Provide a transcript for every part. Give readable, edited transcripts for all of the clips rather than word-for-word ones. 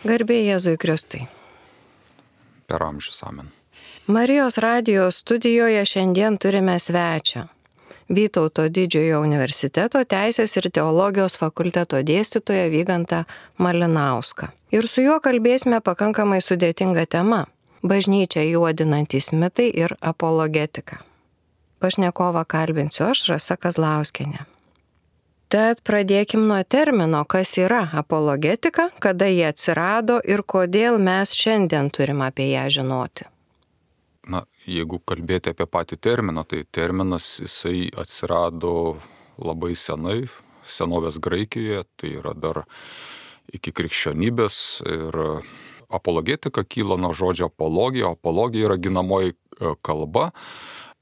Garbė Jėzui Kristui. Per amžius amen. Marijos radijos studijoje šiandien turime svečią. Vytauto Didžiojo universiteto Teisės ir teologijos fakulteto dėstytoją Vygantą Malinauską. Ir su juo kalbėsime pakankamai sudėtingą temą – bažnyčią juodinantys mitai ir apologetika. Pašnekovą kalbinsiu aš, Rasa Kazlauskienė. Tad pradėkim nuo termino, kas yra apologetika, kada jie atsirado ir kodėl mes šiandien turim apie ją žinoti. Na, jeigu kalbėti apie patį terminą, tai terminas jisai atsirado labai senai, senovės Graikijoje, tai yra dar iki krikščionybės ir apologetika kyla nuo žodžio apologija. Apologija yra ginamoji kalba,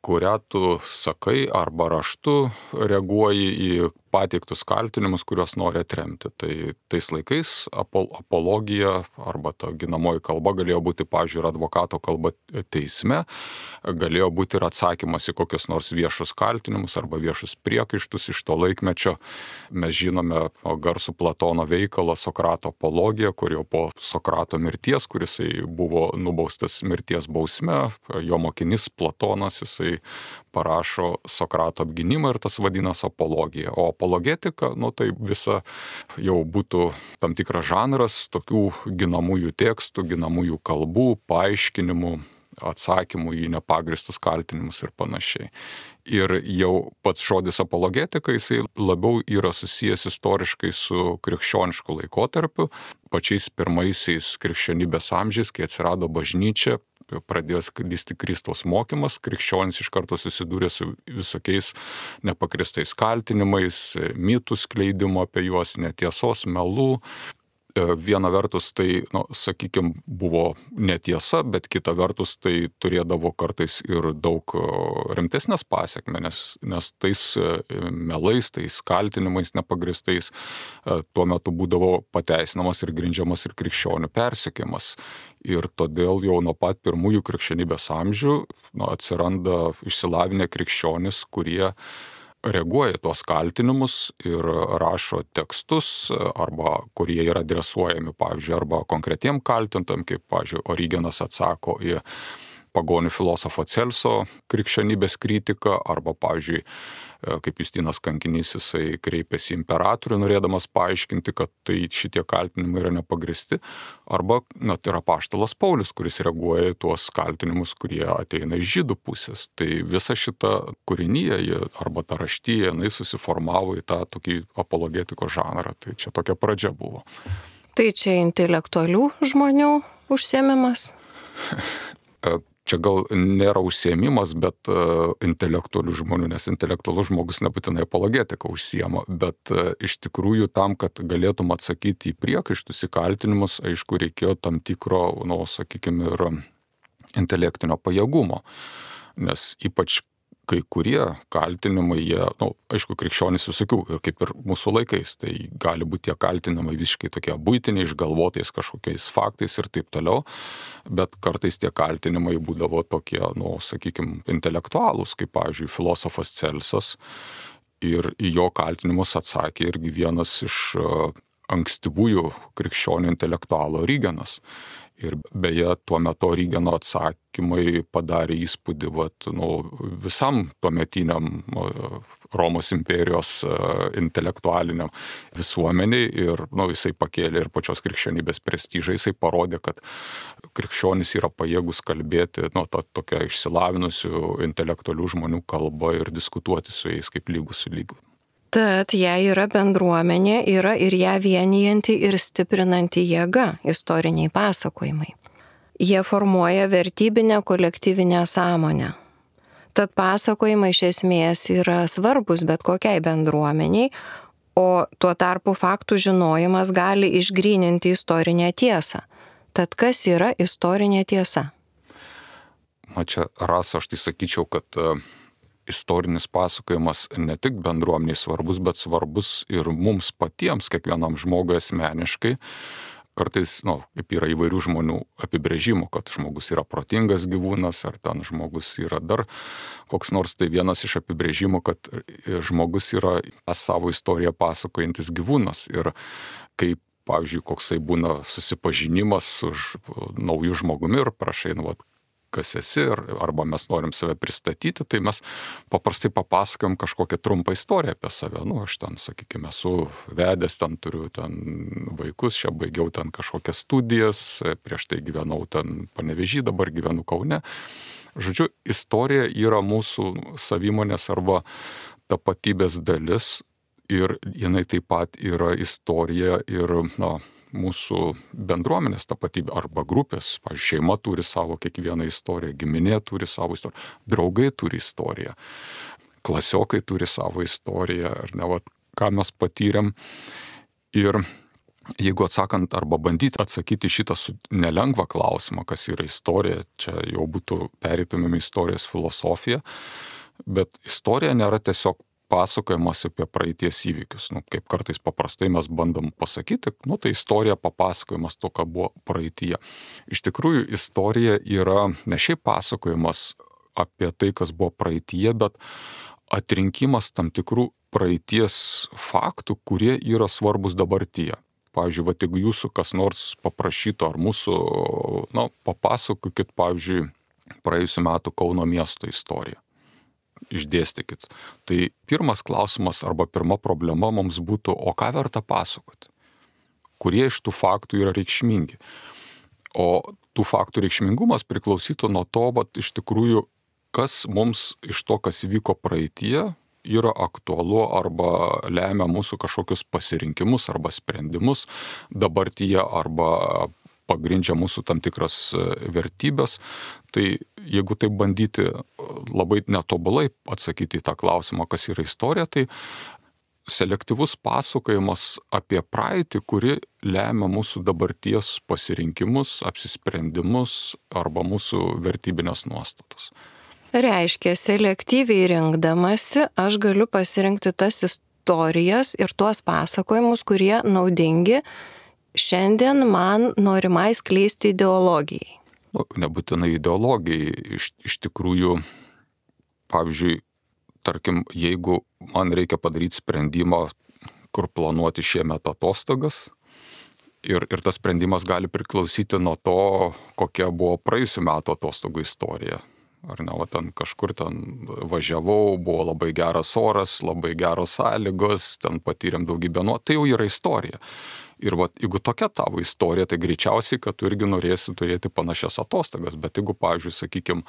kurią tu sakai arba raštu reaguoji į pateiktus kaltinimus, kuriuos nori atremti. Tai tais laikais apologija arba ta ginamoji kalba galėjo būti, pavyzdžiui, ir advokato kalba teisme, galėjo būti ir atsakymas į kokius nors viešus kaltinimus arba viešus priekaištus iš to laikmečio. Mes žinome garsų Platono veikalą Sokrato apologija, kur jau po Sokrato mirties, kuris buvo nubaustas mirties bausme, jo mokinys Platonas, jisai parašo Sokrato apgynimą ir tas vadinasi apologija. O apologetika, tai visa jau būtų tam tikras žanras tokių ginamųjų tekstų, ginamųjų kalbų, paaiškinimų, atsakymų į nepagristus kaltinimus ir panašiai. Ir jau pats žodis apologetika, jisai labiau yra susijęs istoriškai su krikščionišku laikotarpiu, pačiais pirmaisiais krikščionybės amžiais, kai atsirado bažnyčia, pradėjo sklisti Kristaus mokymas, krikščionys iš karto susidūrė su visokiais nepagristais kaltinimais, mitų skleidimu apie juos, netiesos, melų. Viena vertus tai, sakykime, buvo netiesa, bet kita vertus tai turėdavo kartais ir daug rimtesnės pasiekmes, nes tais melais, tais kaltinimais nepagristais tuo metu būdavo pateisinamas ir grindžiamas ir krikščionių persekiojimas. Ir todėl jau nuo pat pirmųjų krikščionybės amžių atsiranda išsilavinę krikščionys, kurie reaguoja į tuos kaltinimus ir rašo tekstus, arba kurie yra adresuojami, pavyzdžiui, arba konkretiem kaltintam, kaip, pavyzdžiui, Origenas atsako į pagonių filosofo Celso krikščionybės kritiką, arba, pavyzdžiui, kaip Justinas Kankinys, jisai kreipėsi į imperatorių, norėdamas paaiškinti, kad tai šitie kaltinimai yra nepagristi, arba tai yra apaštalas Paulius, kuris reaguoja į tuos kaltinimus, kurie ateina iš žydų pusės. Tai visa šita kūrinyje arba ta raštyje, jinai susiformavo į tą tokį apologetikos žanrą. Tai čia tokia pradžia buvo. Tai čia intelektualių žmonių užsiėmimas? Čia gal nėra užsiėmimas, bet intelektualių žmonių, nes intelektualus žmogus nebūtinai apologetika užsiema, bet iš tikrųjų tam, kad galėtum atsakyti į priekaištus, į kaltinimus, aišku, reikėjo tam tikro, sakykime, ir intelektinio pajėgumo, nes ypač kai kurie kaltinimai, jie, aišku, krikščionys visokių, ir kaip ir mūsų laikais, tai gali būti tie kaltinimai visiškai tokie buitiniai, išgalvotais kažkokiais faktais ir taip toliau, bet kartais tie kaltinimai būdavo tokie, sakykime, intelektualūs, kaip, pavyzdžiui, filosofas Celsas, ir į jo kaltinimus atsakė irgi vienas iš ankstyvųjų krikščionių intelektualų Origenas. Ir beje, tuo metu Origeno atsakymai padarė įspūdį visam tuometiniam Romos imperijos intelektualiniam visuomeniai ir jisai pakėlė ir pačios krikščionybės prestižą, jisai parodė, kad krikščionys yra pajėgus kalbėti tokia išsilavinusių intelektualių žmonių kalba ir diskutuoti su jais kaip lygus su lygiu. Tad jei yra bendruomenė, yra ir ją vienijanti ir stiprinanti jėga, istoriniai pasakojimai. Jie formuoja vertybinę kolektyvinę sąmonę. Tad pasakojimai iš esmės yra svarbus bet kokiai bendruomeniai, o tuo tarpu faktų žinojimas gali išgryninti istorinę tiesą. Tad kas yra istorinė tiesa? Čia, Rasa, aš tai sakyčiau, kad istorinis pasakojimas ne tik bendruomeniai svarbus, bet svarbus ir mums patiems, kiekvienam žmogui asmeniškai. Kartais, kaip yra įvairių žmonių apibrėžimų, kad žmogus yra protingas gyvūnas, ar ten žmogus yra dar koks nors, tai vienas iš apibrėžimų, kad žmogus yra savo istoriją pasakojantis gyvūnas. Ir kai pavyzdžiui, koksai būna susipažinimas su nauju žmogumi ir prašai, kas esi, arba mes norim save pristatyti, tai mes paprastai papasakojam kažkokią trumpą istoriją apie save. Aš ten, sakykime, esu vedęs, ten turiu vaikus, čia baigiau ten kažkokias studijas, prieš tai gyvenau ten Panevėžy, dabar gyvenu Kaune. Žodžiu, istorija yra mūsų savimonės arba tapatybės dalis ir jinai taip pat yra istorija ir, mūsų bendruomenės tapatybė arba grupės. Pavyzdžiui, šeima turi savo kiekvieną istoriją, giminė turi savo istoriją, draugai turi istoriją, klasiokai turi savo istoriją, ar ne, ką mes patyrėm. Ir jeigu atsakant arba bandyti atsakyti šitą nelengvą klausimą, kas yra istorija, čia jau būtų pereitumėm istorijos filosofiją, bet istorija nėra tiesiog pasakojimas apie praeities įvykius. Kaip kartais paprastai mes bandom pasakyti, tai istorija papasakojimas to, ką buvo praeityje. Iš tikrųjų, istorija yra ne šiaip pasakojimas apie tai, kas buvo praeityje, bet atrinkimas tam tikrų praeities faktų, kurie yra svarbus dabartyje. Pavyzdžiui, jeigu jūsų kas nors paprašytų ar mūsų, papasakokit, pavyzdžiui, praėjusių metų Kauno miesto istoriją. Išdėstykit. Tai pirmas klausimas arba pirma problema mums būtų, o ką verta pasakoti? Kurie iš tų faktų yra reikšmingi? O tų faktų reikšmingumas priklausytų nuo to, iš tikrųjų, kas mums iš to, kas įvyko praeityje, yra aktualu arba lemia mūsų kažkokius pasirinkimus arba sprendimus dabartyje arba pagrindžia mūsų tam tikras vertybės. Tai jeigu taip bandyti labai netobulai atsakyti į tą klausimą, kas yra istorija, tai selektyvus pasakojimas apie praeitį, kuri lemia mūsų dabarties pasirinkimus, apsisprendimus arba mūsų vertybinės nuostatas. Reiškia, selektyviai rinkdamasi aš galiu pasirinkti tas istorijas ir tuos pasakojimus, kurie naudingi šiandien man norimai skleisti ideologijai. Nebūtinai ideologijai. Iš tikrųjų, pavyzdžiui, tarkim, jeigu man reikia padaryti sprendimą, kur planuoti šiemet atostogas, ir tas sprendimas gali priklausyti nuo to, kokia buvo praėjusių metų atostogų istorija. Ar ne, ten kažkur važiavau, buvo labai geras oras, labai geros sąlygos, ten patyrėm daugybę tai jau yra istorija. Ir jeigu tokia tavo istorija, tai greičiausiai, kad tu irgi norėsi turėti panašias atostogas, bet jeigu, pavyzdžiui, sakykime,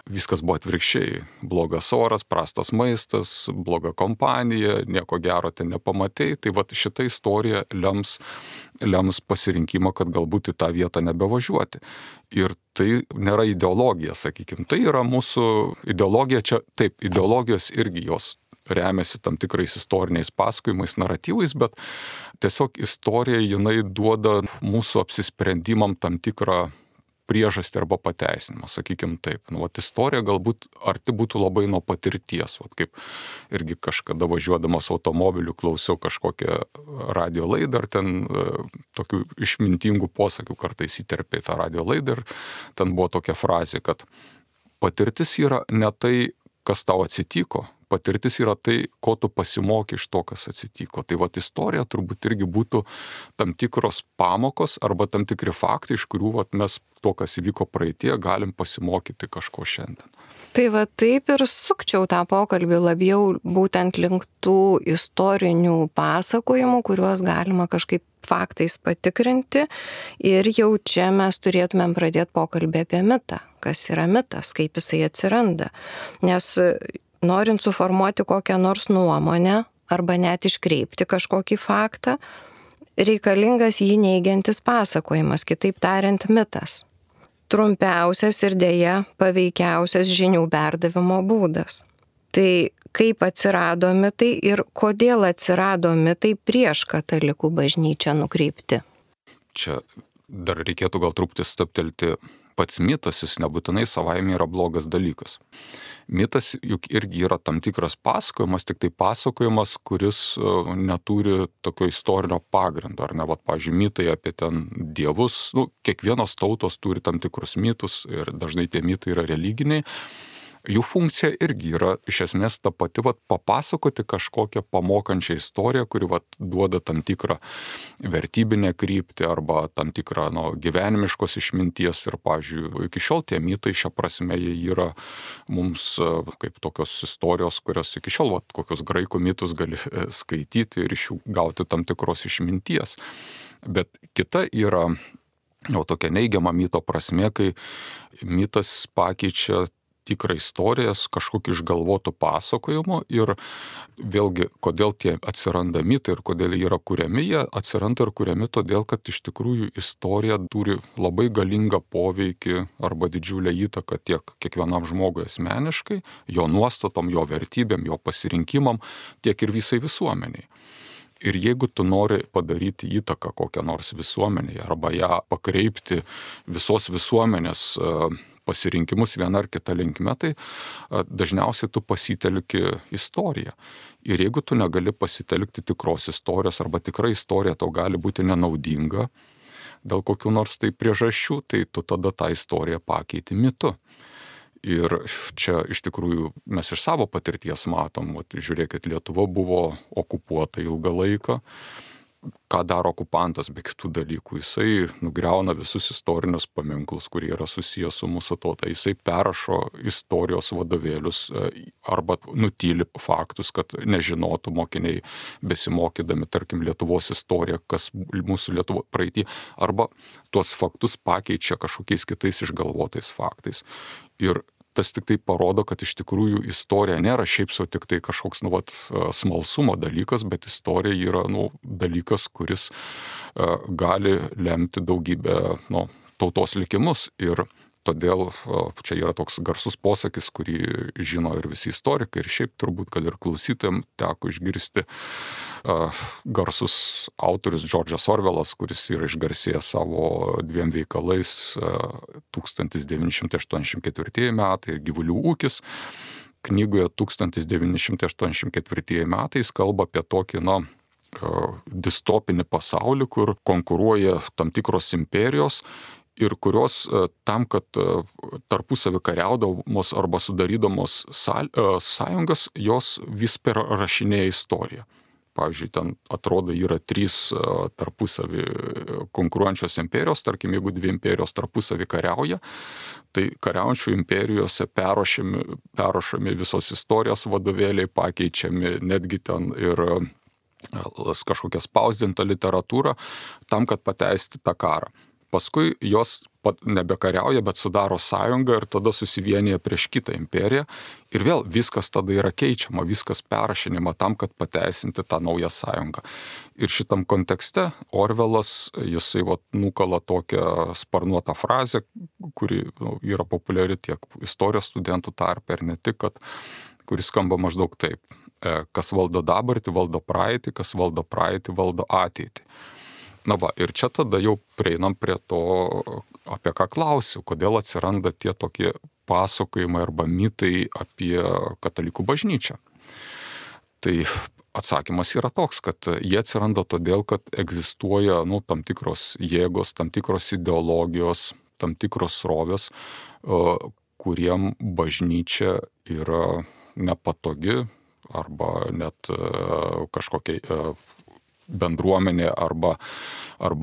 viskas buvo atvirkščiai, blogas oras, prastas maistas, bloga kompanija, nieko gero ten nepamatei, tai šita istorija lems pasirinkimą, kad galbūt į tą vietą nebevažiuoti. Ir tai nėra ideologija, sakykime, tai yra mūsų ideologija, čia taip, ideologijos irgi jos remiasi tam tikrais istoriniais pasakojimais, naratyvais, bet tiesiog istorija jinai duoda mūsų apsisprendimam tam tikrą priežastį arba pateisinimą, sakykime taip. Istorija galbūt arti būtų labai nuo patirties, kaip irgi kažkada važiuodamas automobiliu klausiau kažkokią radio laidą, ar ten tokių išmintingų posakių kartais įterpė į tą radio laidą, ir ten buvo tokia frazė, kad patirtis yra ne tai, kas tau atsitiko, patirtis yra tai, ko tu pasimoki iš to, kas atsitiko. Tai istorija turbūt irgi būtų tam tikros pamokos arba tam tikri faktai, iš kurių mes to, kas įvyko praeitie, galim pasimokyti kažko šiandien. Tai taip ir sukčiau tą pokalbį labiau būtent link tų istorinių pasakojimų, kuriuos galima kažkaip faktais patikrinti, ir jau čia mes turėtumėm pradėti pokalbį apie mitą. Kas yra mitas, kaip jisai atsiranda. Nes norint suformuoti kokią nors nuomonę arba net iškreipti kažkokį faktą, reikalingas jį neigiantis pasakojimas, kitaip tariant mitas. Trumpiausias ir dėja paveikiausias žinių perdavimo būdas. Tai kaip atsirado mitai ir kodėl atsirado mitai prieš katalikų bažnyčią nukreipti? Čia dar reikėtų gal truputį stabtelti. Pats mitas, jis nebūtinai savaime yra blogas dalykas. Mitas juk irgi yra tam tikras pasakojimas, tik tai pasakojimas, kuris neturi tokio istorinio pagrindo, ar ne? Pavyzdžiui, mitai apie ten dievus, kiekvienos tautos turi tam tikrus mitus ir dažnai tie mitai yra religiniai. jų funkcija irgi yra iš esmės ta pati, papasakoti kažkokią pamokančią istoriją, kuri duoda tam tikrą vertybinę kryptį arba tam tikrą gyvenimiškos išminties. Ir, pavyzdžiui, iki šiol tie mitai šią prasme jie yra mums kaip tokios istorijos, kurios iki šiol kokius graikų mitus gali skaityti ir iš jų gauti tam tikros išminties. Bet kita yra tokia neigiama mito prasme, kai mitas pakeičia tikrą istoriją kažkokiu išgalvotu pasakojimu. Ir vėlgi, kodėl tie atsiranda mitai ir kodėl jie yra kuriami, jie atsiranda ir kuriami todėl, kad iš tikrųjų istorija turi labai galingą poveikį arba didžiulę įtaką tiek kiekvienam žmogui asmeniškai, jo nuostatom, jo vertybėm, jo pasirinkimam, tiek ir visai visuomeniai. Ir jeigu tu nori padaryti įtaką kokią nors visuomenėje arba ją pakreipti visos visuomenės pasirinkimus viena ar kita linkme, tai dažniausiai tu pasitelki istoriją. Ir jeigu tu negali pasitelkti tikros istorijos arba tikra istorija tau gali būti nenaudinga dėl kokių nors tai priežasčių, tai tu tada tą istoriją pakeiti mitu. Ir čia iš tikrųjų mes iš savo patirties matom, žiūrėkit, Lietuva buvo okupuota ilgą laiką. Ką daro okupantas be kitų dalykų? Jisai nugriauna visus istorinius paminklus, kurie yra susijęs su mūsų tauta. Jisai perrašo istorijos vadovėlius arba nutyli faktus, kad nežinotų mokiniai besimokydami, tarkim, Lietuvos istoriją, kas mūsų Lietuvo praeitį, arba tuos faktus pakeičia kažkokiais kitais išgalvotais faktais. Ir tas tik tai parodo, kad iš tikrųjų istorija nėra šiaip sau tik tai kažkoks smalsumo dalykas, bet istorija yra dalykas, kuris gali lemti daugybę tautos likimus. Ir todėl čia yra toks garsus posakis, kurį žino ir visi istorikai, ir šiaip turbūt, kad ir klausytojams teko išgirsti garsus autorius Džordžas Orvelas, kuris yra išgarsėjęs savo 2 veikalais 1984 metai ir Gyvulių ūkis. Knygoje 1984 metais kalba apie tokį, distopinį pasaulį, kur konkuruoja tam tikros imperijos ir kurios tam, kad tarpusavį kariaudamos arba sudarydamos sąjungas, jos vis perrašinėja istoriją. Pavyzdžiui, ten atrodo yra 3 tarpusavį konkuruojančios imperijos, tarkim, jeigu 2 imperijos tarpusavį kariauja, tai kariaujančių imperijose perrašami visos istorijos vadovėliai, pakeičiami netgi ten ir kažkokia spausdinta literatūra tam, kad pateisti tą karą. Paskui jos nebekariauja, bet sudaro sąjungą ir tada susivienyja prieš kitą imperiją. Ir vėl viskas tada yra keičiama, viskas perrašinima tam, kad pateisinti tą naują sąjungą. Ir šitam kontekste Orvelas, jisai nukala tokią sparnuotą frazę, kuri yra populiari tiek istorijos studentų tarpe ir ne tik, kuris skamba maždaug taip. Kas valdo dabartį, valdo praeitį, kas valdo praeitį, valdo ateitį. Ir čia tada jau prieinam prie to, apie ką klausiu, kodėl atsiranda tie tokie pasakojimai arba mitai apie katalikų bažnyčią. Tai atsakymas yra toks, kad jie atsiranda todėl, kad egzistuoja tam tikros jėgos, tam tikros ideologijos, tam tikros srovės, kuriem bažnyčia yra nepatogi arba net kažkokia bendruomenė arba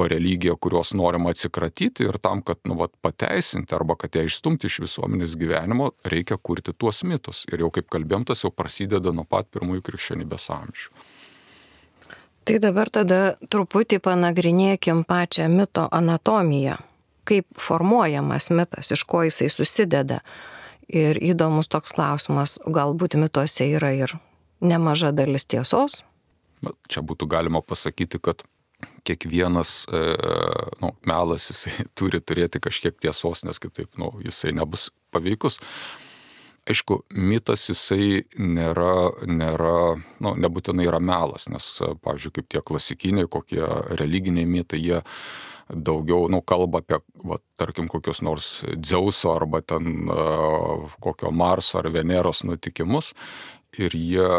religija, kurios norima atsikratyti, ir tam, kad pateisinti arba kad ją išstumti iš visuomenės gyvenimo, reikia kurti tuos mitus. Ir jau kaip kalbėjom, tas jau prasideda nuo pat pirmųjų krikščionybės amžių. Tai dabar tada truputį panagrinėkim pačią mito anatomiją. Kaip formuojamas mitas, iš ko jisai susideda. Ir įdomus toks klausimas, galbūt mituose yra ir nemaža dalis tiesos? Čia būtų galima pasakyti, kad kiekvienas melas jisai turi turėti kažkiek tiesos, nes kitaip jisai nebus paveikus. Aišku, mitas jisai nebūtinai yra melas, nes, pavyzdžiui, kaip tie klasikiniai, kokie religiniai mitai, jie daugiau kalba apie, tarkim, kokios nors Dzeuso arba ten kokio Marso ar Veneros nutikimus, ir jie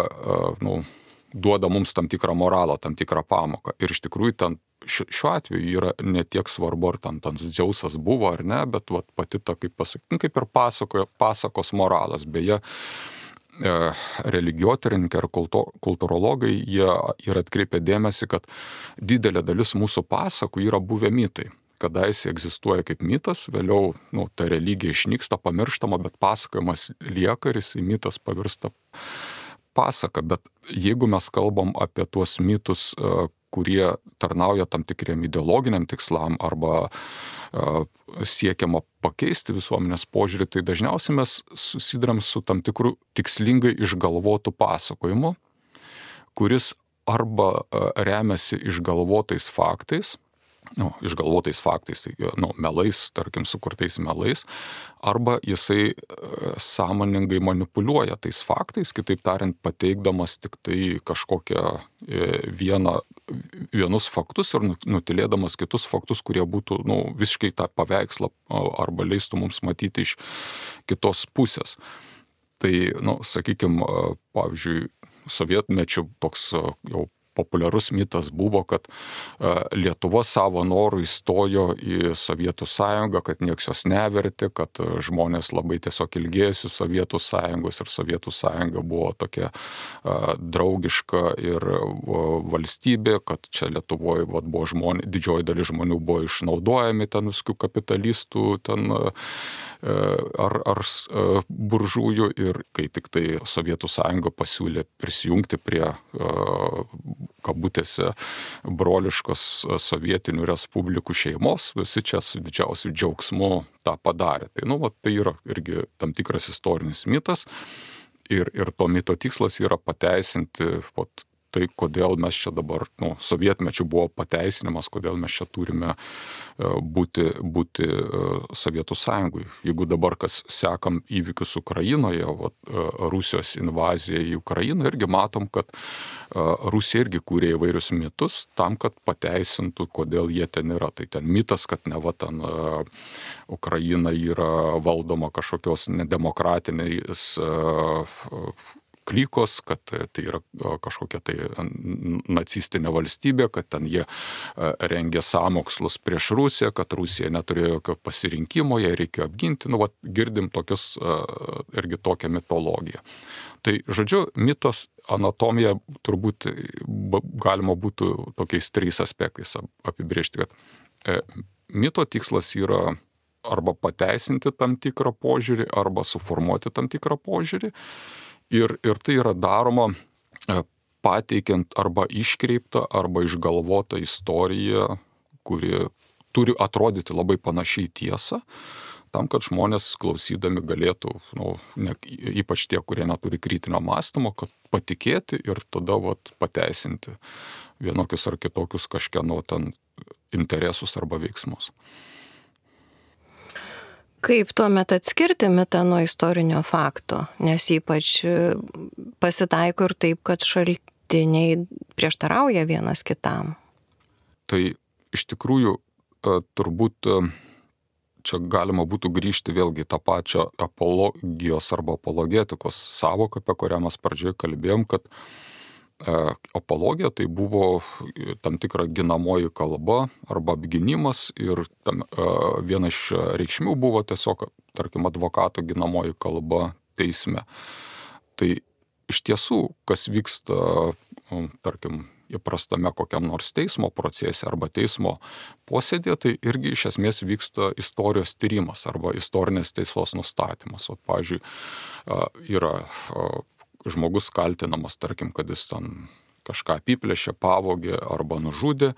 duoda mums tam tikrą moralą, tam tikrą pamoką. Ir iš tikrųjų ten šiuo atveju yra ne tiek svarbu, ar ten Dzeusas buvo ar ne, bet vat, pati ta, kaip ir pasakos moralas. Beje, religijotyrininkai ar kultūrologai, jie yra atkreipę dėmesį, kad didelė dalis mūsų pasakų yra buvę mitai. Kadaise egzistuoja kaip mitas, vėliau ta religija išnyksta, pamirštama, bet pasakojimas lieka ir jis į mitas pavirsta pasaka. Bet jeigu mes kalbam apie tuos mitus, kurie tarnauja tam tikriem ideologiniam tikslam arba siekiama pakeisti visuomenės požiūrį, tai dažniausiai mes susiduriam su tam tikru tikslingai išgalvotu pasakojimu, kuris arba remiasi išgalvotais faktais, tai melais, tarkim, sukurtais melais, arba jisai sąmoningai manipuliuoja tais faktais, kitaip tariant, pateikdamas tik tai kažkokią vienus faktus ir nutilėdamas kitus faktus, kurie būtų visiškai tą paveikslą arba leistų mums matyti iš kitos pusės. Tai, sakykime, pavyzdžiui, sovietmečiu toks jau populiarus mitas buvo, kad Lietuva savo norų įstojo į Sovietų sąjungą, kad nieks jos nevertė, kad žmonės labai tiesiog ilgėjosi Sovietų sąjungos ir Sovietų sąjunga buvo tokia draugiška ir valstybė, kad čia Lietuvoje buvo didžioji dalis žmonių buvo išnaudojami ten visokių kapitalistų ar buržujų, ir kai tik tai Sovietų sąjunga pasiūlė prisijungti prie kabutėse broliškos sovietinių respublikų šeimos, visi čia su didžiausiu džiaugsmu tą padarė. Tai, tai yra irgi tam tikras istorinis mitas, ir to mito tikslas yra pateisinti tai, kodėl mes čia dabar, sovietmečių buvo pateisinimas, kodėl mes čia turime būti Sovietų sąjungui. Jeigu dabar kas sekam įvykius Ukrainoje, Rusijos invazija į Ukrainą, irgi matom, kad Rusija irgi kūrė įvairius mitus tam, kad pateisintų, kodėl jie ten yra. Tai ten mitas, kad ten Ukraina yra valdoma kažkokios nedemokratiniais klykos, kad tai yra kažkokia tai nacistinė valstybė, kad ten jie rengė sąmokslus prieš Rusiją, kad Rusija neturėjo jokio pasirinkimo, jai reikėjo apginti. Girdim irgi tokią mitologiją. Tai, žodžiu, mitos anatomija turbūt galima būtų tokiais 3 aspektais apibrėžti, kad mito tikslas yra arba pateisinti tam tikrą požiūrį, arba suformuoti tam tikrą požiūrį. Ir tai yra daroma pateikiant arba iškreiptą, arba išgalvotą istoriją, kuri turi atrodyti labai panašiai tiesą, tam, kad žmonės klausydami galėtų, ypač tie, kurie neturi kritinio mąstymo, kad patikėti ir tada pateisinti vienokius ar kitokius kažkieno ten interesus arba veiksmus. Kaip tuomet atskirti mitą nuo istorinio fakto, nes ypač pasitaiko ir taip, kad šaltiniai prieštarauja vienas kitam? Tai iš tikrųjų turbūt čia galima būtų grįžti vėlgi tą pačią apologijos arba apologetikos sąvoką, apie kurią mes pradžioje kalbėjom, kad apologija tai buvo tam tikra ginamoji kalba arba apgynimas, ir viena iš reikšmių buvo tiesiog, tarkim, advokato ginamoji kalba teisme. Tai iš tiesų, kas vyksta, tarkim, įprastame kokiam nors teismo procese arba teismo posėdėje, tai irgi iš esmės vyksta istorijos tyrimas arba istorinės tiesos nustatymas. Pavyzdžiui, yra žmogus kaltinamas, tarkim, kad jis ten kažką apiplėšė, pavogė arba nužudė,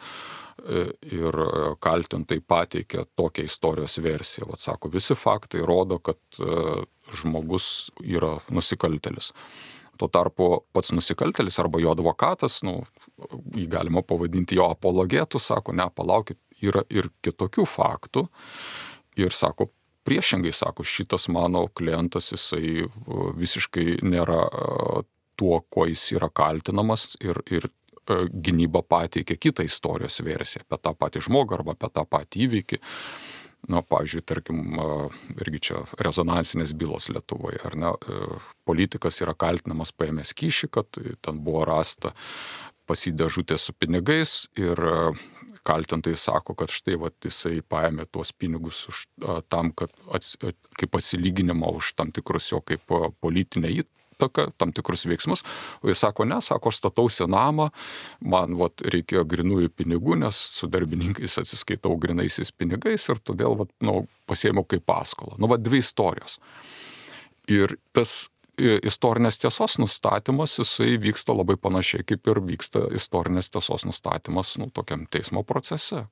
ir kaltintai pateikė tokią istorijos versiją. Sako, visi faktai rodo, kad žmogus yra nusikaltėlis. Tuo tarpu pats nusikaltėlis arba jo advokatas, jį galima pavadinti jo apologetu, sako, ne, palaukit, yra ir kitokių faktų, ir sako, priešingai, sako, šitas mano klientas, jisai visiškai nėra tuo, kuo jis yra kaltinamas, ir gynyba pateikė kitą istorijos versiją apie tą patį žmogų arba apie tą patį įvykį. Pavyzdžiui, tarkim, irgi čia rezonansinės bylos Lietuvoje, ar ne, politikas yra kaltinamas paėmęs kyšį, kad ten buvo rasta pas jį dėžutė su pinigais ir kaltintojai sako, kad štai jisai paėmė tuos pinigus tam, kad kaip atsilyginimą už tam tikrus jo kaip politinę įtaką, tam tikrus veiksmus. O jis sako, ne, sako, aš statausi namą, man reikėjo grinųjų pinigų, nes su darbininkais atsiskaitau grinaisiais pinigais ir todėl pasiėmiau kaip paskolą. Dvi istorijos. Ir tas istorinės tiesos nustatymas, jisai vyksta labai panašiai, kaip ir vyksta istorinės tiesos nustatymas tokiam teismo procese.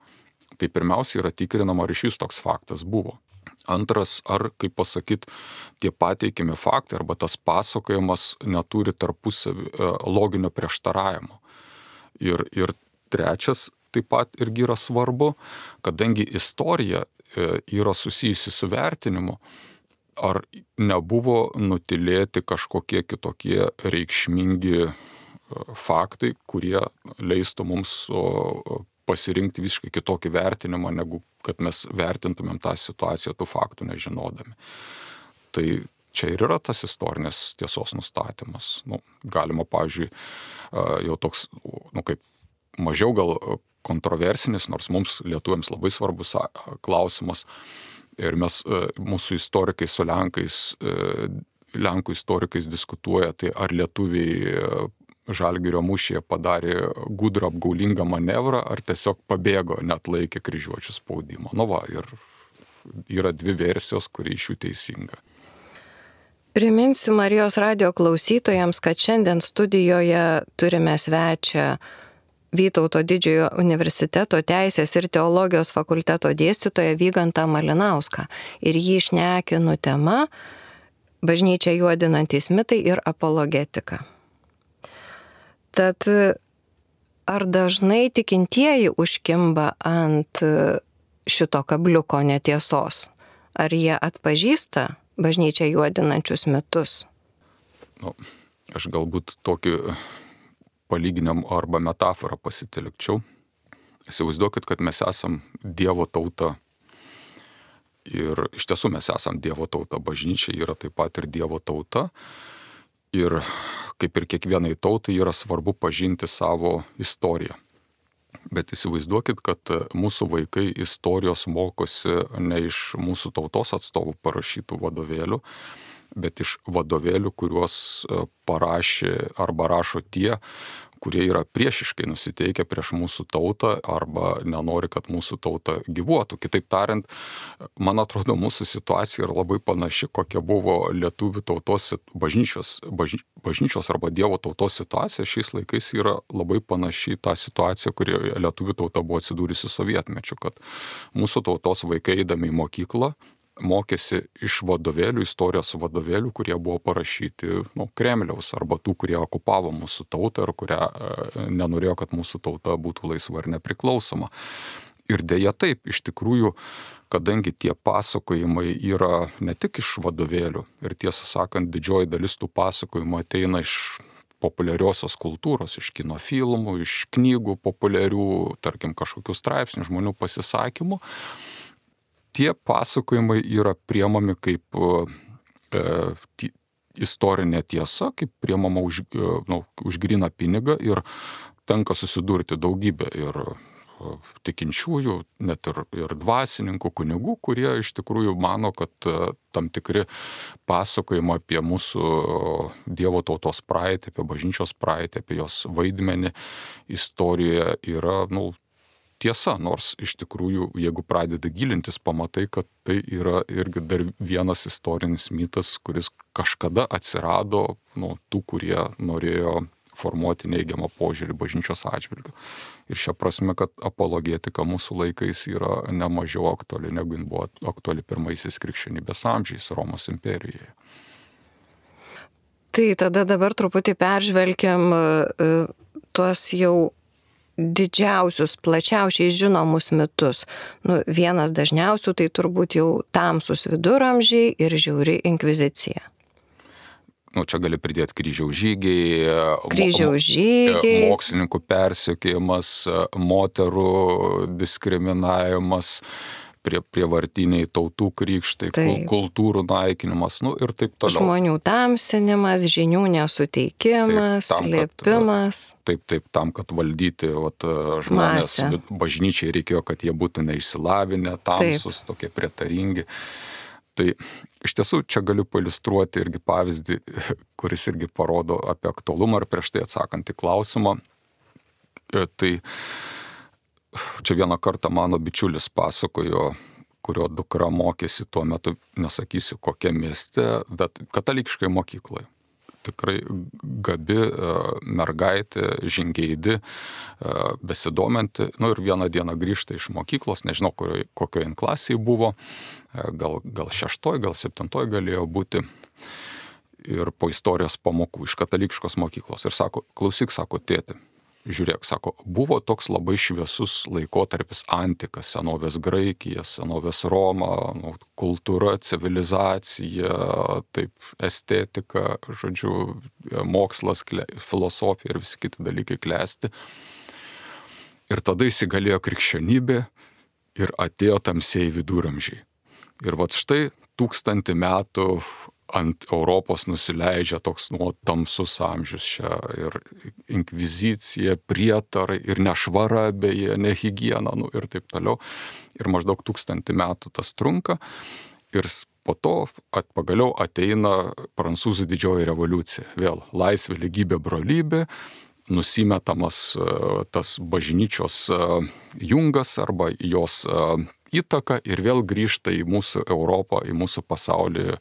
Tai pirmiausia yra tikrinama, ar iš jis toks faktas buvo. Antras, ar, kaip pasakyti, tie pateikimi faktai arba tas pasakojimas neturi tarpusavį loginio prieštaravimo. Ir trečias taip pat irgi yra svarbu, kadangi istorija yra susijusi su vertinimu, ar nebuvo nutilėti kažkokie kitokie reikšmingi faktai, kurie leistų mums pasirinkti visiškai kitokį vertinimą, negu kad mes vertintumėm tą situaciją tų faktų nežinodami. Tai čia ir yra tas istorinės tiesos nustatymas. Galima, pavyzdžiui, jau toks, kaip mažiau gal kontroversinis, nors mums lietuviams labai svarbus klausimas. Ir mūsų istorikai su Lenkų istorikais diskutuoja, tai ar lietuviai Žalgirio mūšyje padarė gudrą apgaulingą manevrą, ar tiesiog pabėgo, net laikė kryžiuočių spaudimo. Ir yra dvi versijos, kuri iš jų teisinga. Priminsiu Marijos radijo klausytojams, kad šiandien studijoje turime svečią Vytauto didžiojo universiteto teisės ir teologijos fakulteto dėstytoją Vygantą Malinauską. Ir jį šnekinu tema bažnyčią juodinantys mitai ir apologetika. Tad ar dažnai tikintieji užkimba ant šito kabliuko netiesos? Ar jie atpažįsta bažnyčią juodinančius mitus? Aš galbūt tokį palyginam arba metaforą pasitelkčiau. Įsivaizduokit, kad mes esam Dievo tauta. Ir iš tiesų mes esam Dievo tauta. Bažnyčia yra taip pat ir Dievo tauta. Ir kaip ir kiekvienai tautai yra svarbu pažinti savo istoriją. Bet įsivaizduokit, kad mūsų vaikai istorijos mokosi ne iš mūsų tautos atstovų parašytų vadovėlių, bet iš vadovėlių, kuriuos parašė arba rašo tie, kurie yra priešiškai nusiteikę prieš mūsų tautą arba nenori, kad mūsų tauta gyvuotų. Kitaip tariant, man atrodo, mūsų situacija yra labai panaši, kokia buvo lietuvių tautos bažnyčios arba Dievo tautos situacija. Šiais laikais yra labai panaši tą situaciją, kurioje lietuvių tauta buvo atsidūrusi sovietmečiu, kad mūsų tautos vaikai eidami į mokyklą mokėsi iš vadovėlių, istorijos vadovėlių, kurie buvo parašyti Kremliaus arba tų, kurie okupavo mūsų tautą ir kurie nenorėjo, kad mūsų tauta būtų laisva ir nepriklausoma. Ir dėja taip, iš tikrųjų, kadangi tie pasakojimai yra ne tik iš vadovėlių ir tiesą sakant, didžioji dalis tų pasakojimų ateina iš populiariosios kultūros, iš kino filmų, iš knygų populiarių, tarkim, kažkokių straipsnių, žmonių pasisakymų, tie pasakojimai yra priemami kaip istorinė tiesa, kaip priemama už gryną pinigą ir tenka susidurti daugybę ir tikinčiųjų, net ir dvasininkų, kunigų, kurie iš tikrųjų mano, kad tam tikri pasakojimai apie mūsų Dievo tautos praeitį, apie bažnyčios praeitį, apie jos vaidmenį istorijoje yra, tiesa, nors iš tikrųjų, jeigu pradedi gilintis, pamatai, kad tai yra irgi dar vienas istorinis mitas, kuris kažkada atsirado tų, kurie norėjo formuoti neigiamą požiūrį bažnyčios atžvilgiu. Ir šia prasme, kad apologetika mūsų laikais yra nemažiau aktuali, negu jin buvo aktuali pirmaisiais krikščionybės amžiais Romos imperijoje. Tai tada dabar truputį peržvelgiam tuos jau didžiausius, plačiausiai žinomus mitus. Vienas dažniausių tai turbūt jau tamsūs viduramžiai ir žiauri inkvizicija. Čia gali pridėti kryžiaus žygiai, mokslininkų persekiojimas, moterų diskriminavimas, prievartiniai tautų krikštai, kultūrų naikinimas, ir taip toliau. Žmonių tamsinimas, žinių nesuteikimas, slėpimas. Taip, tam, kad valdyti žmonės, bažnyčiai reikėjo, kad jie būtų neišsilavinę, tamsus, tokie prietaringi. Tai iš tiesų čia galiu pailiustruoti irgi pavyzdį, kuris irgi parodo apie aktualumą ir prieš tai atsakant į klausimą. Tai čia vieną kartą mano bičiulis pasakojo, kurio dukra mokėsi tuo metu, nesakysiu kokiam mieste, bet katalikiškai mokykloje. Tikrai gabi mergaitė, žingeidi, besidominti. Ir vieną dieną grįžta iš mokyklos, nežinau, kokioje klasėje buvo, gal 6, gal 7 galėjo būti. Ir po istorijos pamokų iš katalikiškos mokyklos. Ir sako, klausyk, sako, tėti, žiūrėk, sako, buvo toks labai šviesus laikotarpis antika, senovės Graikija, senovės Roma, kultūra, civilizacija, taip, estetika, žodžiu, mokslas, filosofija ir visi kiti dalykai klesti. Ir tada įsigalėjo krikščionybė ir atėjo tamsieji viduramžiai. Ir štai 1000 metų ant Europos nusileidžia toks tamsus amžius čia ir inkvizicija, prietarai ir nešvara beje, nehigiena, ir taip toliau. Ir maždaug 1000 metų tas trunka ir po to pagaliau ateina Prancūzų didžioji revoliucija. Vėl laisvė, lygybė, brolybė, nusimetamas tas bažnyčios jungas arba jos įtaka ir vėl grįžta į mūsų Europą, į mūsų pasaulį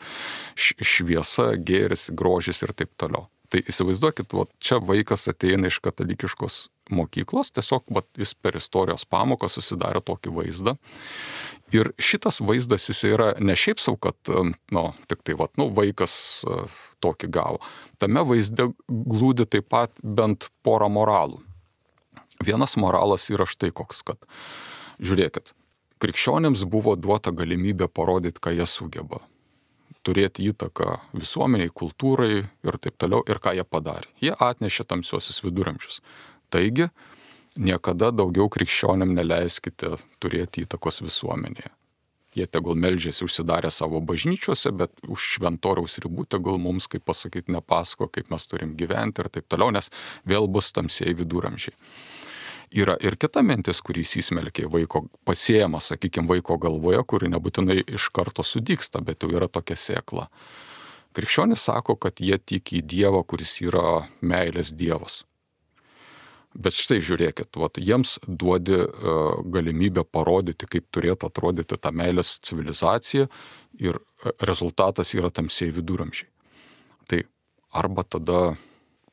šviesa, gėris, grožis ir taip toliau. Tai įsivaizduokit, čia vaikas ateina iš katalikiškos mokyklos, tiesiog jis per istorijos pamoką susidarė tokį vaizdą. Ir šitas vaizdas jis yra ne šiaip sau, kad tik tai vaikas tokį gavo. Tame vaizde glūdi taip pat bent porą moralų. Vienas moralas yra štai koks, kad žiūrėkit, krikščionėms buvo duota galimybė parodyti, ką jie sugeba. Turėti įtaką visuomeniai, kultūrai ir taip toliau. Ir ką jie padarė? Jie atnešė tamsiuosius viduramžius. Taigi, niekada daugiau krikščionėm neleiskite turėti įtakos visuomenėje. Jie tegul meldžiasi užsidarę savo bažnyčiuose, bet už šventoriaus ribų tegul mums, kaip pasakyti, nepasako, kaip mes turim gyventi ir taip toliau, nes vėl bus tamsieji viduramžiai. Yra ir kita mintis, kurį įsismelkė vaiko pasėjama, sakykime, vaiko galvoje, kuri nebūtinai iš karto sudygsta, bet jau yra tokia sėkla. Krikščionys sako, kad jie tiki į Dievą, kuris yra meilės Dievas. Bet štai žiūrėkit, jiems duodi galimybę parodyti, kaip turėtų atrodyti ta meilės civilizacija ir rezultatas yra tamsieji viduramžiai. Tai arba tada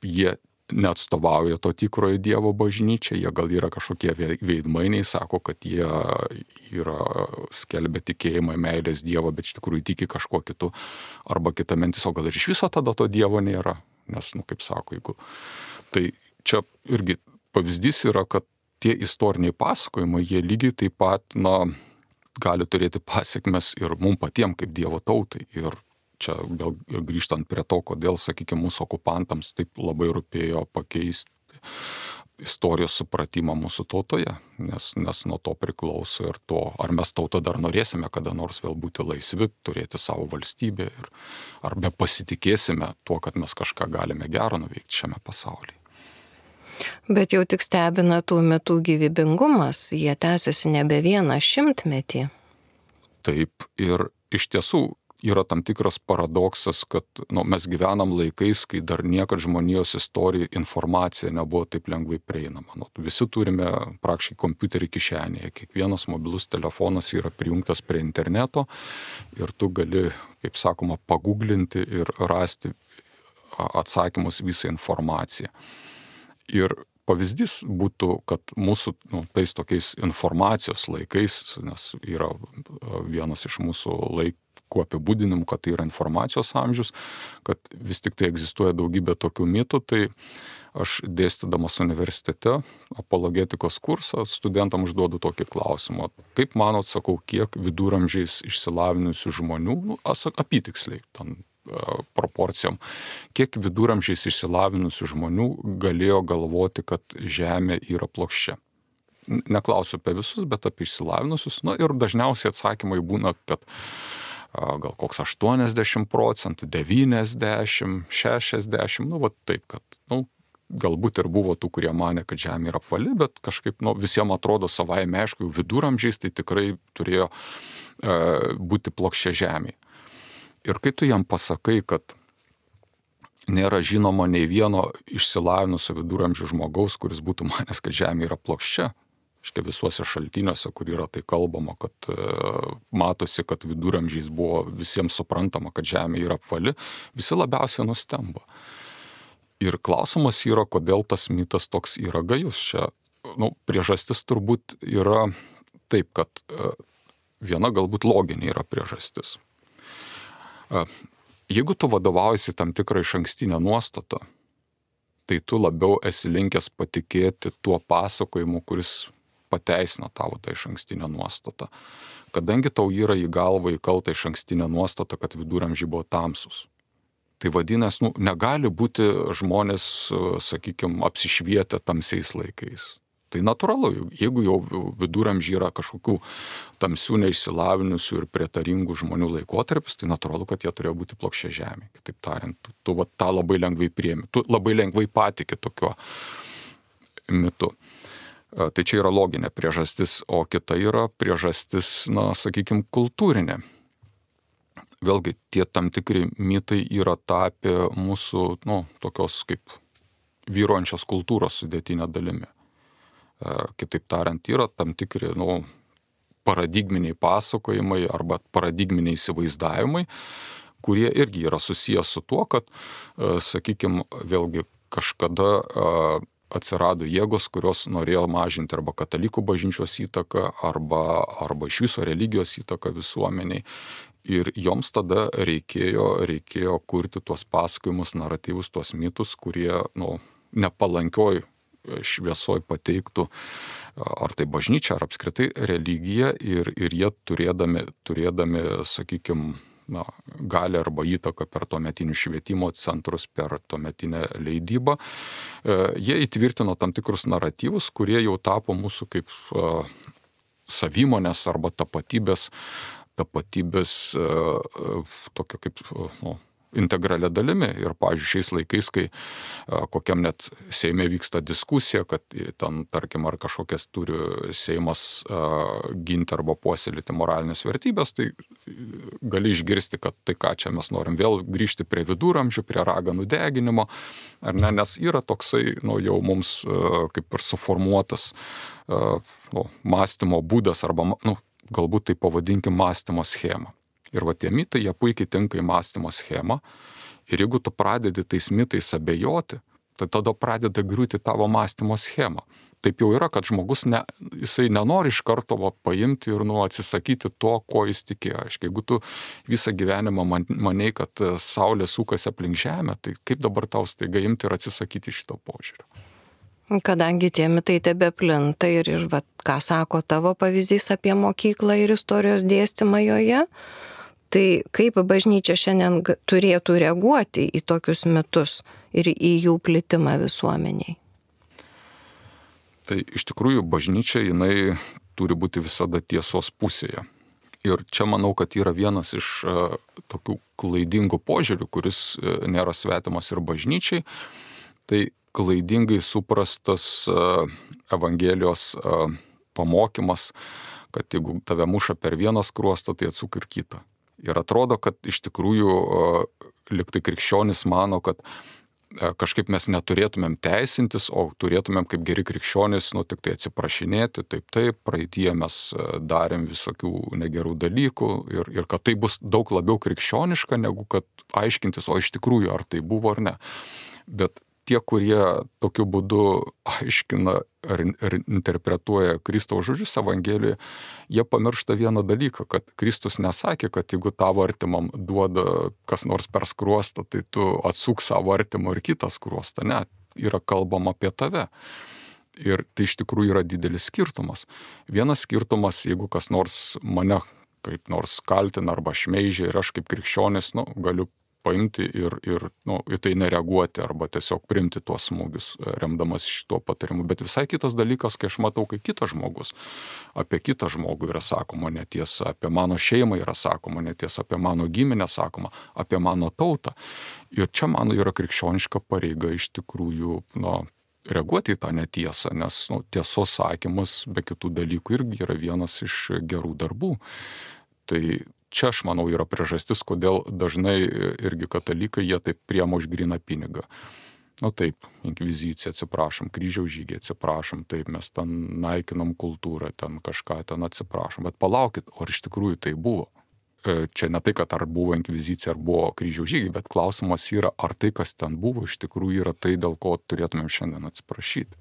jie neatstovauja to tikrojo Dievo bažnyčiai, jie gal yra kažkokie veidmainiai, sako, kad jie yra skelbia tikėjimą meilės Dievo, bet iš tikrųjų tiki kažkuo kitu. Arba kita mintis, o gal ir iš viso tada to Dievo nėra. Nes, kaip sako, jeigu... Tai čia irgi pavyzdys yra, kad tie istoriniai pasakojimai, jie lygiai taip pat, gali turėti pasekmes ir mums patiems kaip Dievo tautai. Ir čia vėl grįžtant prie to, kodėl, sakykime, mūsų okupantams taip labai rūpėjo pakeisti istorijos supratimą mūsų tautoje, nes nuo to priklauso ir to, ar mes tauta dar norėsime kada nors vėl būti laisvi, turėti savo valstybę, ar be pasitikėsime tuo, kad mes kažką galime gero nuveikti šiame pasaulyje. Bet jau tik stebina tų mitų gyvybingumas, jie tęsiasi nebe 100 metį. Taip, ir iš tiesų yra tam tikras paradoksas, kad mes gyvenam laikais, kai dar niekad žmonijos istorija, informacija nebuvo taip lengvai prieinama. Visi turime praktiškai kompiuterį kišenėje, kiekvienas mobilus telefonas yra prijungtas prie interneto ir tu gali, kaip sakoma, paguglinti ir rasti atsakymus visą informaciją. Ir pavyzdys būtų, kad mūsų tais tokiais informacijos laikais, nes yra vienas iš mūsų laikų apibūdinimų, kad tai yra informacijos amžius, kad vis tik tai egzistuoja daugybė tokių mitų, tai aš dėstydamas universitete apologetikos kursą studentam užduodu tokį klausimą. Kaip manot, sakau, kiek viduramžiais išsilavinusių žmonių, apytiksliai, proporcijom, kiek viduramžiais išsilavinusių žmonių galėjo galvoti, kad Žemė yra plokščia. neklausiu apie visus, bet apie išsilavinusius. Na ir dažniausiai atsakymai būna, kad gal koks 80%, 90%, 60%, nu va taip, kad, nu, galbūt ir buvo tų, kurie manė, kad Žemė yra apvali, bet kažkaip, nu, visiems atrodo savaime aišku, jau viduramžiais tai tikrai turėjo būti plokščia Žemė. Ir kai tu jam pasakai, kad nėra žinoma nei vieno išsilavinusio viduramžių žmogaus, kuris būtų manęs, kad Žemė yra plokščia, aiškiai visuose šaltiniuose, kur yra tai kalbama, kad matosi, kad viduramžiais buvo visiems suprantama, kad Žemė yra apvali, visi labiausiai nustemba. Ir klausimas yra, kodėl tas mitas toks yra gajus. Čia, nu, priežastis turbūt yra taip, kad viena galbūt loginė yra priežastis. Jeigu tu vadovaujasi tam tikrą išankstinę nuostatą, tai tu labiau esi linkęs patikėti tuo pasakojimu, kuris pateisina tavo tą išankstinę nuostatą. Kadangi tau yra į galvą įkalta išankstinė nuostata, kad viduramžiai buvo tamsus. Tai vadinasi, nu, negali būti žmonės, sakykime, apsišvietę tamsiais laikais. Tai natūralu, jeigu jau viduramžiai yra kažkokių tamsių, neišsilavinusių ir prietaringų žmonių laikotarpis, tai natūralu, kad jie turėjo būti plokščia Žemė. Kitaip tariant, tu va, tą labai lengvai priemi, tu labai lengvai patiki tokiu mitu. Tai čia yra loginė priežastis, o kita yra priežastis, na, sakykime, kultūrinė. Vėlgi, tie tam tikri mitai yra tapę mūsų, nu, tokios kaip vyruojančios kultūros sudėtinė dalimi. Kitaip tariant, yra tam tikri, nu, paradigminiai pasakojimai arba paradigminiai įsivaizdavimai, kurie irgi yra susijęs su tuo, kad, sakykime, vėlgi kažkada atsirado jėgos, kurios norėjo mažinti arba katalikų bažnyčios įtaką, arba iš viso religijos įtaką visuomeniai. Ir joms tada reikėjo kurti tuos pasakojimus, naratyvus, tuos mitus, kurie, nu, nepalankioj šviesoj pateiktų ar tai bažnyčia, ar apskritai religija ir jie turėdami, sakykime, gali arba įtaką per tuometinius švietimo centrus, per tuometinę leidybą, jie įtvirtino tam tikrus naratyvus, kurie jau tapo mūsų kaip savimonės arba tapatybės tokio kaip, nu, integralia dalimi. Ir, pavyzdžiui, šiais laikais, kai kokiam net Seime vyksta diskusija, kad ten, tarkim, ar kažkokias turi Seimas ginti arba puoselėti moralinės vertybės, tai gali išgirsti, kad tai ką čia mes norim vėl grįžti prie viduramžių, prie raganų deginimo, ar ne, nes yra toksai, nu, jau mums kaip ir suformuotas mąstymo būdas arba, nu, galbūt tai pavadinkim mąstymo schemą. Ir va tie mitai, jie puikiai tinka į mąstymo schemą. Ir jeigu tu pradedi tais mitais abejoti, tai tada pradeda griūti tavo mąstymo schemą. Taip jau yra, kad žmogus jisai nenori iš karto paimti ir atsisakyti to, ko jis tikėjo. Aiškiai, jeigu tu visą gyvenimą manei, kad Saulė sukasi aplink Žemę, tai kaip dabar tau staiga imti ir atsisakyti šito požiūrio? Kadangi tie mitai tebeplinta ir va, ką sako tavo pavyzdys apie mokyklą ir istorijos dėstymą joje, tai kaip bažnyčia šiandien turėtų reaguoti į tokius mitus ir į jų plitimą visuomeniai? Tai iš tikrųjų bažnyčia, jinai turi būti visada tiesos pusėje. Ir čia manau, kad yra vienas iš tokių klaidingų požiūrių, kuris nėra svetimas ir bažnyčiai. Tai klaidingai suprastas Evangelijos pamokymas, kad jeigu tave muša per vieną skruostą, tai atsuk ir kitą. Ir atrodo, kad iš tikrųjų liktai krikščionis mano, kad kažkaip mes neturėtumėm teisintis, o turėtumėm kaip geri krikščionys, tik tai atsiprašinėti, taip, praeityje mes darėm visokių negerų dalykų ir kad tai bus daug labiau krikščioniška, negu kad aiškintis, o iš tikrųjų ar tai buvo ar ne. Bet tie, kurie tokiu būdu aiškina ar interpretuoja Kristaus žodžius Evangelijoje, jie pamiršta vieną dalyką, kad Kristus nesakė, kad jeigu tavo artimam duoda kas nors per skruostą, tai tu atsuk savo artimo ir kitą skruostą. Ne, yra kalbama apie tave. Ir tai iš tikrųjų yra didelis skirtumas. Vienas skirtumas, jeigu kas nors mane kaip nors kaltina arba šmeižia ir aš kaip krikščionis, galiu paimti ir į tai nereaguoti arba tiesiog priimti tuos smūgius, remdamas šituo patarimu. Bet visai kitas dalykas, kai aš matau, kai kitas žmogus, apie kitą žmogų yra sakoma netiesa, apie mano šeimą yra sakoma netiesa, apie mano giminę sakoma, apie mano tautą. Ir čia mano yra krikščioniška pareiga iš tikrųjų, reaguoti į tą netiesą, nes tiesos sakymas be kitų dalykų irgi yra vienas iš gerų darbų. Tai čia, aš manau, yra priežastis, kodėl dažnai irgi katalikai jie taip priema už gryną pinigą. Taip, inkvizicija, atsiprašom, kryžiaus žygiai, atsiprašom, taip, mes ten naikinam kultūrą, ten kažką ten atsiprašom. Bet palaukit, ar iš tikrųjų tai buvo? Čia ne tai, kad ar buvo inkvizicija, ar buvo kryžiaus žygiai, bet klausimas yra, ar tai, kas ten buvo, iš tikrųjų yra tai, dėl ko turėtumėm šiandien atsiprašyti.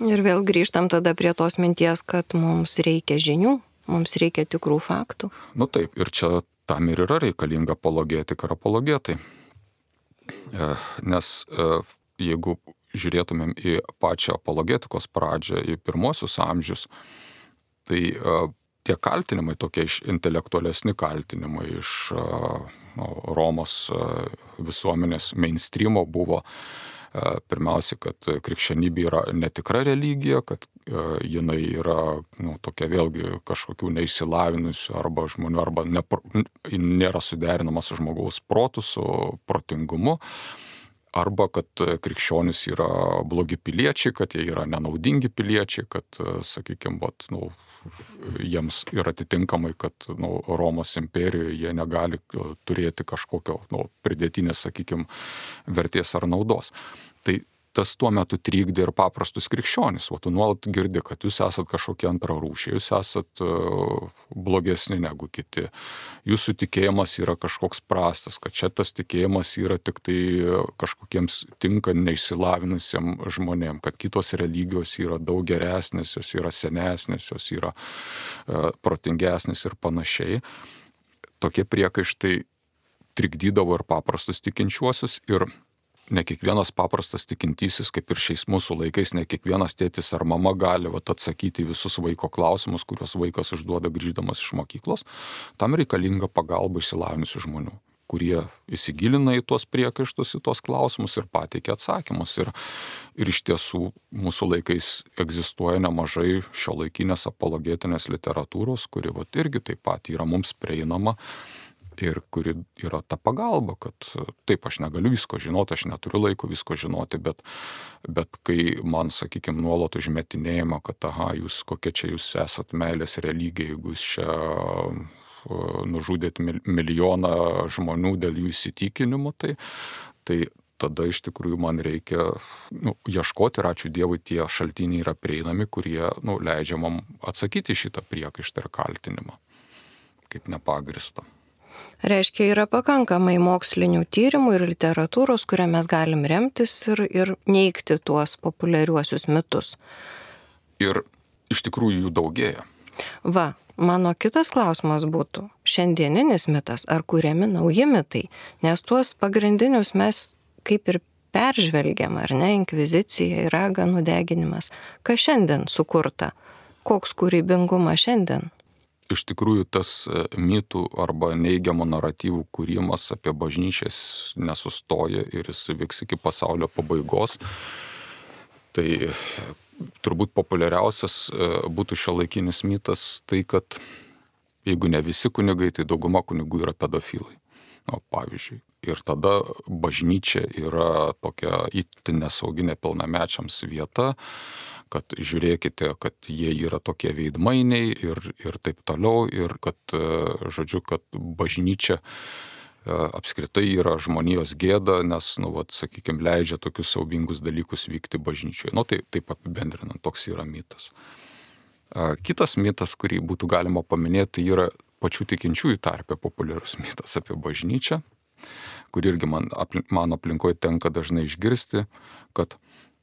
Ir vėl grįžtam tada prie tos minties, kad mums reikia žinių. Mums reikia tikrų faktų. Taip, ir čia tam ir yra reikalinga apologetika ir apologetai. Nes jeigu žiūrėtumėm į pačią apologetikos pradžią, į pirmosius amžius, tai tie kaltinimai, tokie intelektualesni kaltinimai iš Romos visuomenės mainstreamo buvo pirmiausia, kad krikščionybė yra netikra religija, kad jinai yra tokia vėlgi kažkokių neišsilavinusių arba žmonių, arba nėra suderinama su žmogaus protu, su protingumu, arba kad krikščionys yra blogi piliečiai, kad jie yra nenaudingi piliečiai, kad, sakykime, jiems yra atitinkamai, kad Romos imperijoje jie negali turėti kažkokio pridėtinės, sakykime, vertės ar naudos. Tai tas tuo metu trikdė ir paprastus krikščionis. Tu nuolat girdi, kad jūs esat kažkokie antrarūšiai, jūs esat blogesni negu kiti. Jūsų tikėjimas yra kažkoks prastas, kad čia tas tikėjimas yra tik tai kažkokiems tinka neišsilavinusiem žmonėm, kad kitos religijos yra daug geresnės, jos yra senesnės, jos yra protingesnės ir panašiai. Tokie priekaištai trikdydavo ir paprastus tikinčiuosius, ir ne kiekvienas paprastas tikintysis, kaip ir šiais mūsų laikais, ne kiekvienas tėtis ar mama gali atsakyti visus vaiko klausimus, kuriuos vaikas užduoda grįždamas iš mokyklos. Tam reikalinga pagalba išsilavinusių žmonių, kurie įsigilina į tuos priekaištus, į tuos klausimus ir pateikia atsakymus. Ir iš tiesų mūsų laikais egzistuoja nemažai šiuolaikinės apologetinės literatūros, kuri irgi taip pat yra mums prieinama. Ir kuri yra ta pagalba, kad taip, aš negaliu visko žinoti, aš neturiu laiko visko žinoti, bet kai man, sakykime, nuolat užmetinėjama, kad jūs kokie čia jūs esat meilės religija, jeigu jūs čia nužudėt milijoną žmonių dėl jų įsitikinimų, tai tada iš tikrųjų man reikia ieškoti, ir ačiū Dievui, tie šaltiniai yra prieinami, kurie leidžia man atsakyti šitą priekaištą ir kaltinimą kaip nepagrįstą. Reiškia, yra pakankamai mokslinių tyrimų ir literatūros, kurią mes galim remtis ir neigti tuos populiariuosius mitus. Ir iš tikrųjų jų daugėja. Mano kitas klausimas būtų, šiandieninis mitas ar kuriami nauji mitai, nes tuos pagrindinius mes kaip ir peržvelgiam, ar ne, inkvizicija, raganų deginimas. Kas šiandien sukurta? Koks kūrybingumas šiandien? Iš tikrųjų, tas mitų arba neigiamų naratyvų kūrimas apie bažnyčias nesustoja ir jis vyks iki pasaulio pabaigos. Tai turbūt populiariausias būtų šiuolaikinis mitas tai, kad jeigu ne visi kunigai, tai dauguma kunigų yra pedofilai. Pavyzdžiui. Ir tada bažnyčia yra tokia itin nesaugi nepilnamečiams vieta, kad žiūrėkite, kad jie yra tokie veidmainiai ir taip toliau, ir kad, žodžiu, kad bažnyčia apskritai yra žmonijos gėda, nes, sakykime, leidžia tokius siaubingus dalykus vykti bažnyčioje. Taip apibendrinant, toks yra mitas. Kitas mitas, kurį būtų galima paminėti, tai yra pačių tikinčiųjų tarpe populiarus mitas apie bažnyčią, kur irgi mano aplinkoje tenka dažnai išgirsti, kad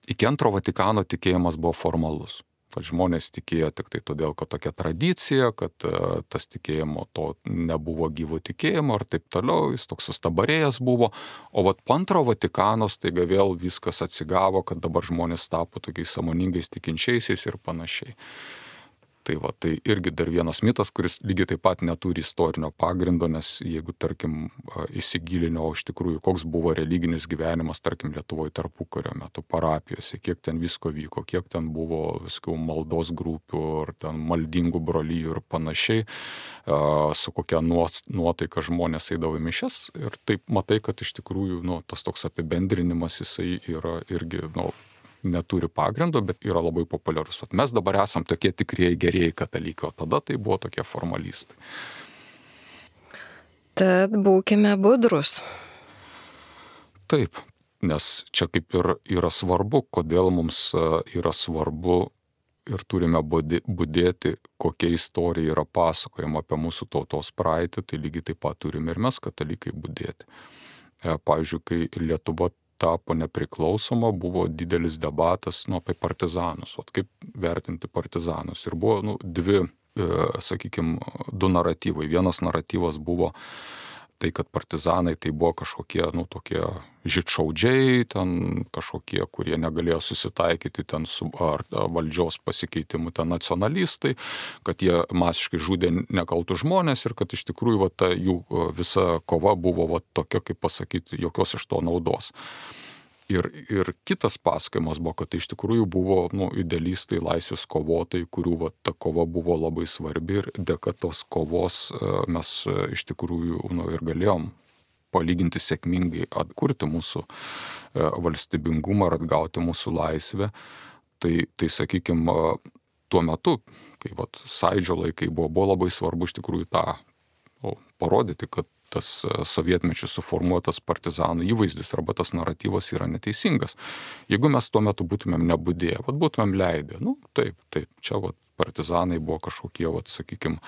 iki antro Vatikano tikėjimas buvo formalus. Kad žmonės tikėjo tik tai todėl, kad tokia tradicija, kad tas tikėjimo to nebuvo gyvo tikėjimo ir taip toliau, jis toks sustabarėjęs buvo. O po antro Vatikano staiga vėl viskas atsigavo, kad dabar žmonės tapo tokiais sąmoningais tikinčiaisiais ir panašiai. Tai tai irgi dar vienas mitas, kuris lygiai taip pat neturi istorinio pagrindo, nes jeigu, tarkim, įsigilinio iš tikrųjų, koks buvo religinis gyvenimas, tarkim, Lietuvoje tarpukario metu parapijose, kiek ten visko vyko, kiek ten buvo viskų maldos grupių ar ten maldingų brolyjų ir panašiai, su kokia nuotaika žmonės eidavo į mišias. Ir taip matai, kad iš tikrųjų tas toks apibendrinimas jisai yra irgi neturi pagrindo, bet yra labai populiarus. Mes dabar esam tokie tikrieji gerieji katalikai, o tada tai buvo tokie formalistai. Tad būkime budrus. Taip, nes čia kaip ir yra svarbu, kodėl mums yra svarbu ir turime budėti, kokia istorija yra pasakojama apie mūsų tautos praeitį, tai lygiai taip pat turime ir mes katalikai budėti. Pavyzdžiui, kai Lietuva tapo nepriklausoma, buvo didelis debatas apie partizanus, kaip vertinti partizanus. Ir buvo du naratyvai. Vienas naratyvas buvo tai, kad partizanai tai buvo kažkokie, tokie žydšaudžiai, ten kažkokie, kurie negalėjo susitaikyti ten su valdžios pasikeitimu, ten nacionalistai, kad jie masiškai žudė nekaltus žmonės ir kad iš tikrųjų ta jų visa kova buvo tokia, kaip pasakyti, jokios iš to naudos. Ir kitas pasakojimas buvo, kad tai iš tikrųjų buvo idealistai, laisvės kovotojai, kurių ta kova buvo labai svarbi ir dėka tos kovos mes iš tikrųjų ir galėjom palyginti sėkmingai atkurti mūsų valstybingumą ir atgauti mūsų laisvę. Tai sakykime, tuo metu, kai Sąjūdžio laikai buvo labai svarbu iš tikrųjų tą parodyti, kad tas sovietmečių suformuotas partizanų įvaizdis arba tas naratyvas yra neteisingas. Jeigu mes tuo metu būtumėm nebudėję, būtumėm leidę, taip, čia partizanai buvo kažkokie, sakykime,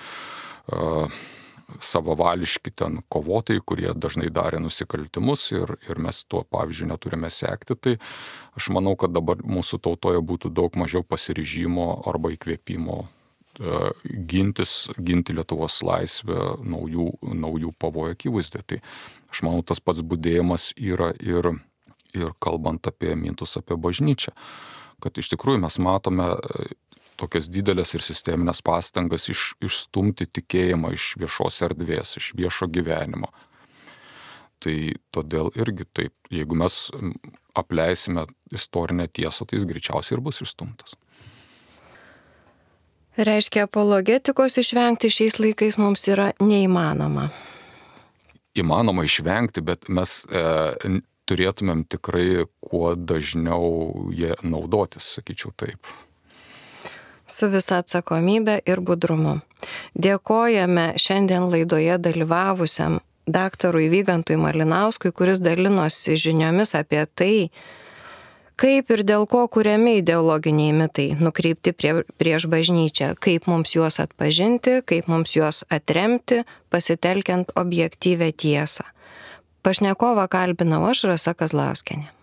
savavališki ten kovotojai, kurie dažnai darė nusikaltimus ir mes tuo pavyzdžiui neturime sekti, tai aš manau, kad dabar mūsų tautoje būtų daug mažiau pasiryžimo arba įkvėpimo ginti Lietuvos laisvę naujų pavojų akivaizdoje. Tai aš manau, tas pats budėjimas yra ir kalbant apie mintus apie bažnyčią, kad iš tikrųjų mes matome tokias didelės ir sisteminės pastangas išstumti tikėjimą iš viešos erdvės, iš viešo gyvenimo. Tai todėl irgi taip, jeigu mes apleisime istorinę tiesą, tai jis greičiausiai ir bus išstumtas. Reiškia, apologetikos išvengti šiais laikais mums yra neįmanoma. Įmanoma išvengti, bet mes turėtumėm tikrai kuo dažniau jie naudotis, sakyčiau taip. Su visa atsakomybė ir budrumu. Dėkojame šiandien laidoje dalyvavusiam daktarui Vygantui Malinauskui, kuris dalinosi žiniomis apie tai, kaip ir dėl ko kuriami ideologiniai mitai nukreipti prieš bažnyčią, kaip mums juos atpažinti, kaip mums juos atremti, pasitelkiant objektyvią tiesą. Pašnekovą kalbinau aš, Rasa Kazlauskienė.